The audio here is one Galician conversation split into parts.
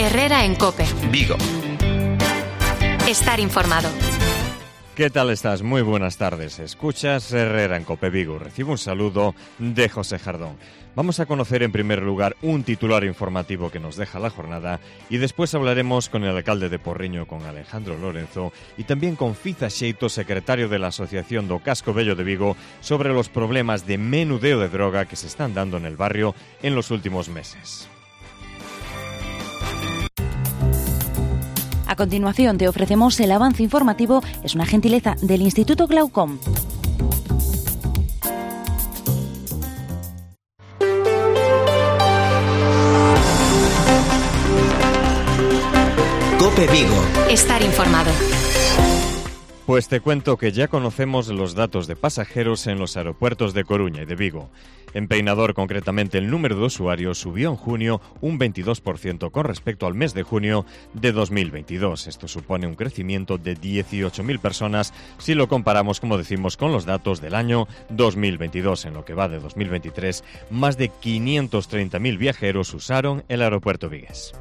Herrera en COPE. Vigo. Estar informado. ¿Qué tal estás? Muy buenas tardes. Escuchas Herrera en COPE Vigo. Recibo un saludo de José Jardón. Vamos a conocer en primer lugar un titular informativo que nos deja la jornada y después hablaremos con el alcalde de Porriño, con Alejandro Lorenzo, y también con Fiza Xeito, secretario de la Asociación do Casco Vello de Vigo, sobre los problemas de menudeo de droga que se están dando en el barrio en los últimos meses. A continuación te ofrecemos el avance informativo, es una gentileza del Instituto Glaucom. COPE Vigo. Estar informado. Pues te cuento que ya conocemos los datos de pasajeros en los aeropuertos de Coruña y de Vigo. En Peinador, concretamente, el número de usuarios subió en junio un 22% con respecto al mes de junio de 2022. Esto supone un crecimiento de 18.000 personas si lo comparamos, como decimos, con los datos del año 2022. En lo que va de 2023, más de 530.000 viajeros usaron el aeropuerto vigués.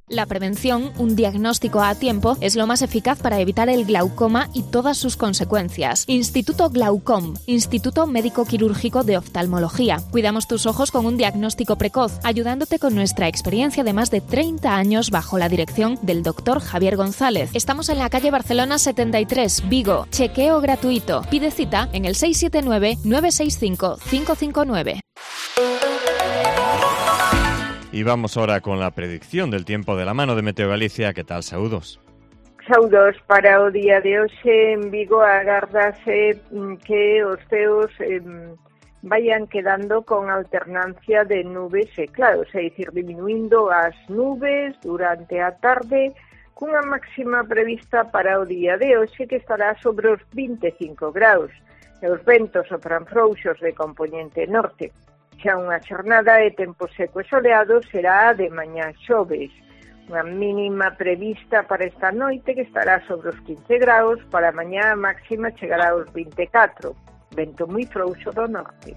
La prevención, un diagnóstico a tiempo, es lo más eficaz para evitar el glaucoma y todas sus consecuencias. Instituto Glaucom, Instituto Médico Quirúrgico de Oftalmología. Cuidamos tus ojos con un diagnóstico precoz, ayudándote con nuestra experiencia de más de 30 años bajo la dirección del doctor Javier González. Estamos en la calle Barcelona 73, Vigo. Chequeo gratuito. Pide cita en el 679-965-559. Y vamos ahora con la predicción del tiempo de la mano de Meteo Galicia. ¿Qué tal? Saúdos. Saúdos. Para o día de hoxe en Vigo agárdase que os ceos vayan quedando con alternancia de nubes e claros, é dicir, diminuindo as nubes durante a tarde, cunha máxima prevista para o día de hoxe que estará sobre os 25 graus. E os ventos sopran frouxos de compoñente norte. Xa unha xornada de tempo seco e soleado será de mañá xoves. Unha mínima prevista para esta noite que estará sobre os 15 graus, para mañá máxima chegará aos 24. Vento moi frouxo do norte.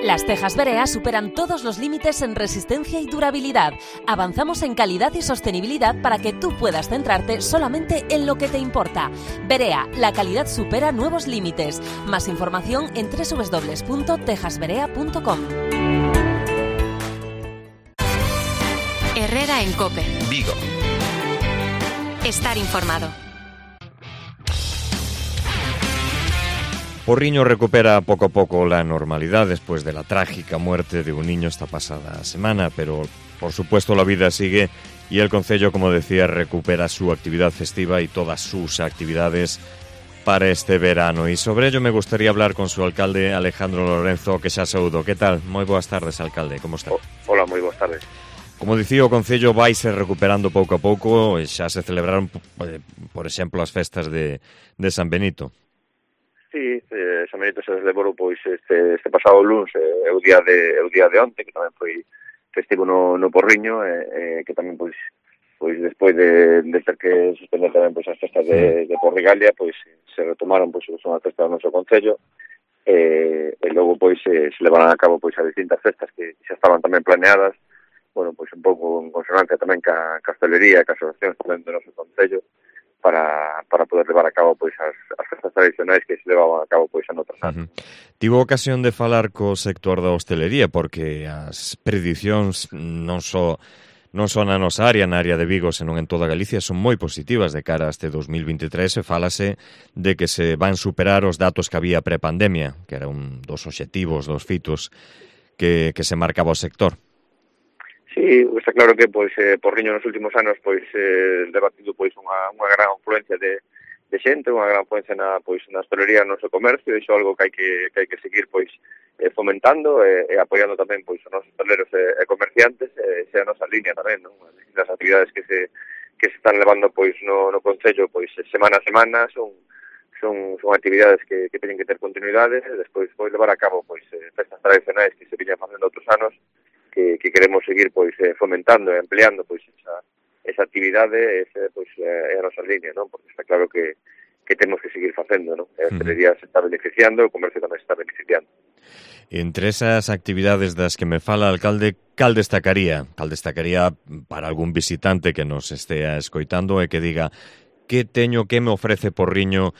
Las tejas Berea superan todos los límites en resistencia y durabilidad. Avanzamos en calidad y sostenibilidad para que tú puedas centrarte solamente en lo que te importa. Berea, la calidad supera nuevos límites. Más información en www.tejasberea.com. Herrera en COPE. Vigo. Estar informado. Porriño recupera poco a poco la normalidad después de la trágica muerte de un niño esta pasada semana, pero por supuesto la vida sigue y el concello, como decía, recupera su actividad festiva y todas sus actividades para este verano. Y sobre ello me gustaría hablar con su alcalde, Alejandro Lorenzo, que xa saúdo. ¿Qué tal? Moi boas tardes, alcalde, como está? Hola, moi boas tardes. Como dicía, o concello vaise recuperando pouco a pouco, e xa se celebraron, por exemplo, as festas de San Benito. Sí, San Benito se celebrou pois este pasado luns, o día de onte, que tamén foi festivo no Porriño, que tamén pois despois de ter que suspender tamén pois as festas de Porrigalia, pois se retomaron pois son as festas do noso concello, e logo pois se levaron a cabo pois as distintas festas que xa estaban tamén planeadas, bueno, pois un pouco en consonancia tamén ca hostelería, ca asociacións tamén do noso concello, para poder levar a cabo pois as festas tradicionais que se levaban a cabo pois en outros anos. Tivo ocasión de falar co sector da hostelería porque as predicións non só na nosa área, na área de Vigo, senón en toda Galicia, son moi positivas de cara a este 2023 e fálase de que se van superar os datos que había prepandemia, que era un dos obxectivos, dos fitos que se marcaba o sector. Sí, está claro que pois Porriño nos últimos anos pois debatido pois unha gran afluencia de xente, unha gran afluencia na hostelería, no noso comercio, e iso é algo que hai que seguir pois fomentando e apoiando tamén pois os nosos hosteleros e comerciantes, xa a nosa línea tamén, non? As actividades que se están levando pois no concello pois semana a semana son actividades que teñen que ter continuidade, e despois levar a cabo pois festas tradicionais que se viñan facendo outros anos, que queremos seguir pois fomentando e ampliando pois esa actividade, pois é a nosa línea, non? Porque está claro que temos que seguir facendo, non? A hostelería se está beneficiando, o comercio tamén se está beneficiando. Entre esas actividades das que me fala, alcalde, cal destacaría para algún visitante que nos estea escoitando e que diga que me ofrece Porriño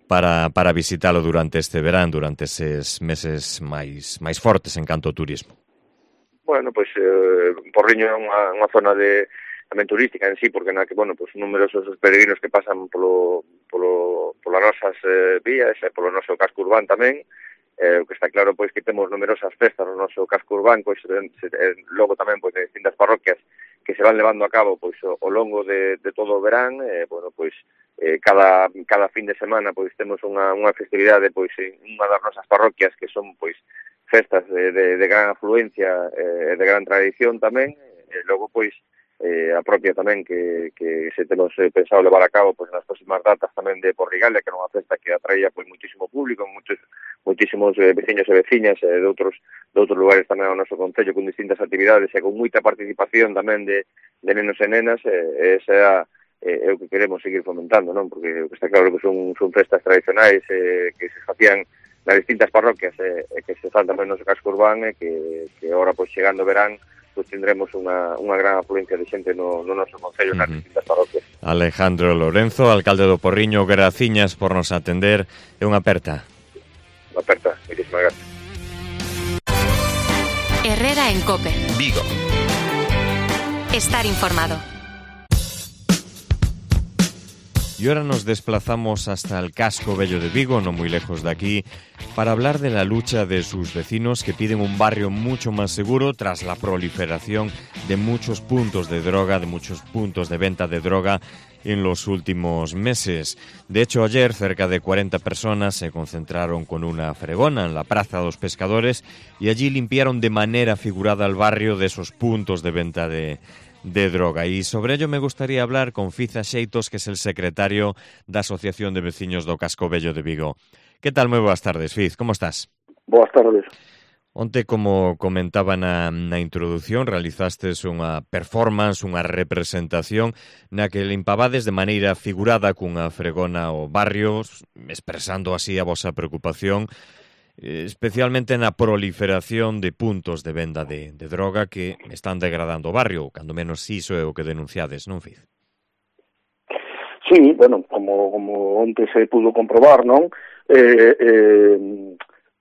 para visitalo durante este verán, durante eses meses máis fortes en canto ao turismo? Bueno, pois Porriño é unha zona tamén turística en sí, porque numerosos os peregrinos que pasan polas nosas vías e polo noso casco urbán tamén. O que está claro pois que temos numerosas festas no noso casco urbán, pois logo tamén pois de distintas parroquias que se van levando a cabo pois ao longo de todo o verán. Cada fin de semana pois temos unha festividade pois en unha das nosas parroquias que son pois festas de gran afluencia e de gran tradición tamén. Logo pois a propia tamén que se temos pensado levar a cabo pois nas próximas datas tamén de Porrigalda, que era unha festa que atraía pois muchísimo público, muchísimos veciños e veciñas de outros lugares tamén ao noso concello, con distintas actividades e con moita participación tamén de nenos e nenas. Esa é o que queremos seguir fomentando, non? Porque o que está claro que son festas tradicionais que se facían nas distintas parroquias e que se fan tamén no noso casco urbán, e que agora pois chegando o verán pois tendremos unha gran afluencia de xente no noso concello, nas distintas parroquias. Alejandro Lorenzo, alcalde do Porriño, graciñas por nos atender e unha aperta. Unha aperta, moitísimas gracias. Herrera en COPE. Vigo. Estar informado. Y ahora nos desplazamos hasta el casco bello de Vigo, no muy lejos de aquí, para hablar de la lucha de sus vecinos que piden un barrio mucho más seguro tras la proliferación de muchos puntos de droga, de muchos puntos de venta de droga en los últimos meses. De hecho, ayer cerca de 40 personas se concentraron con una fregona en la Praza dos Pescadores y allí limpiaron de manera figurada el barrio de esos puntos de venta de droga. Y sobre ello me gustaría hablar con Fiz Axeitos, que es el secretario da Asociación de Veciños do Casco Bello de Vigo. ¿Qué tal? Moi boas tardes, Fiz, como estás? Boas tardes. Onte, como comentaba na introducción, realizastes unha performance, unha representación na que limpabades de maneira figurada cunha fregona o barrio, expresando así a vosa preocupación, especialmente na proliferación de puntos de venda de droga que están degradando o barrio, cando menos iso é o que denunciades, non, Fiz? Sí, bueno, como onte se pudo comprobar, non?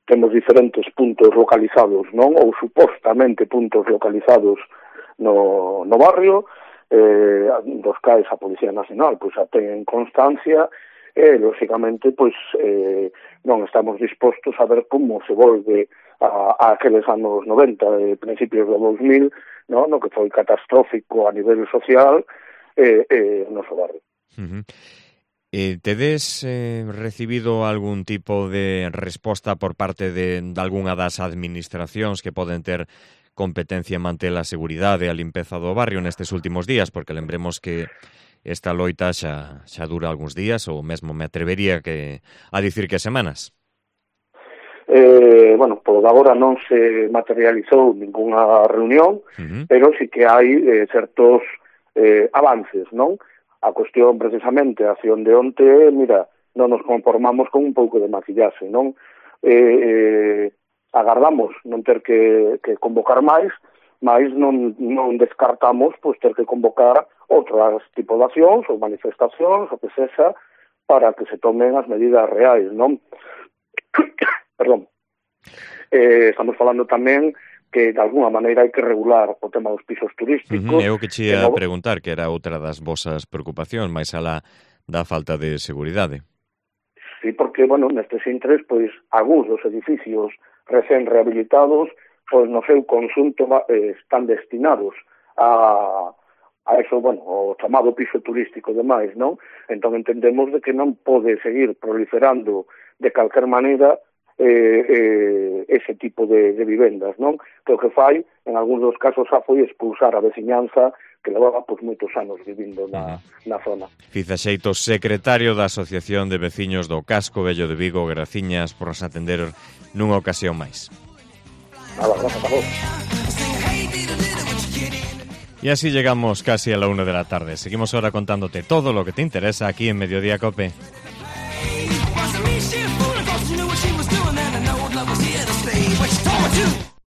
Temos diferentes puntos localizados, non? Ou supostamente puntos localizados no barrio, dos cais a Policía Nacional pois a ten constancia. Lógicamente, pois non estamos dispostos a ver como se volve a aqueles anos 90 e principios do 2000, no que foi catastrófico a nivel social o noso barrio. Tedes recibido algún tipo de resposta por parte de algunha das administracións que poden ter competencia en manter a seguridade e a limpeza do barrio nestes últimos días? Porque lembremos que esta loita xa dura algúns días, ou mesmo me atrevería a dicir que semanas. Bueno, por agora non se materializou ninguna reunión, pero sí que hai certos avances, non? A cuestión precisamente, a acción de onte, mira, non nos conformamos con un pouco de maquillaxe, non? Agardamos non ter que convocar máis, mas non descartamos pois ter que convocar outras tipo de accións ou manifestacións, o que sexa, para que se tomen as medidas reais, non? Perdón. Estamos falando tamén que de alguna maneira hai que regular o tema dos pisos turísticos. Eu que che ia preguntar, que era outra das vosas preocupacións, máis alá da falta de seguridade. Sí, porque, bueno, nestes intres, pois, algúns dos edificios recén rehabilitados, pois, no seu conxunto están destinados a eso, bueno, o chamado piso turístico e demais, non? Entón entendemos de que non pode seguir proliferando de calquer maneira ese tipo de vivendas, non? Que o que fai, en algúns dos casos, foi expulsar a veciñanza que levaba pois moitos anos vivindo na zona. Fiz Axeitos, secretario da Asociación de Veciños do Casco Bello de Vigo, graciñas por nos atender nunha ocasión máis. Nada, gracias a vos. Y así llegamos casi a la 1 de la tarde. Seguimos ahora contándote todo lo que te interesa aquí en Mediodía COPE.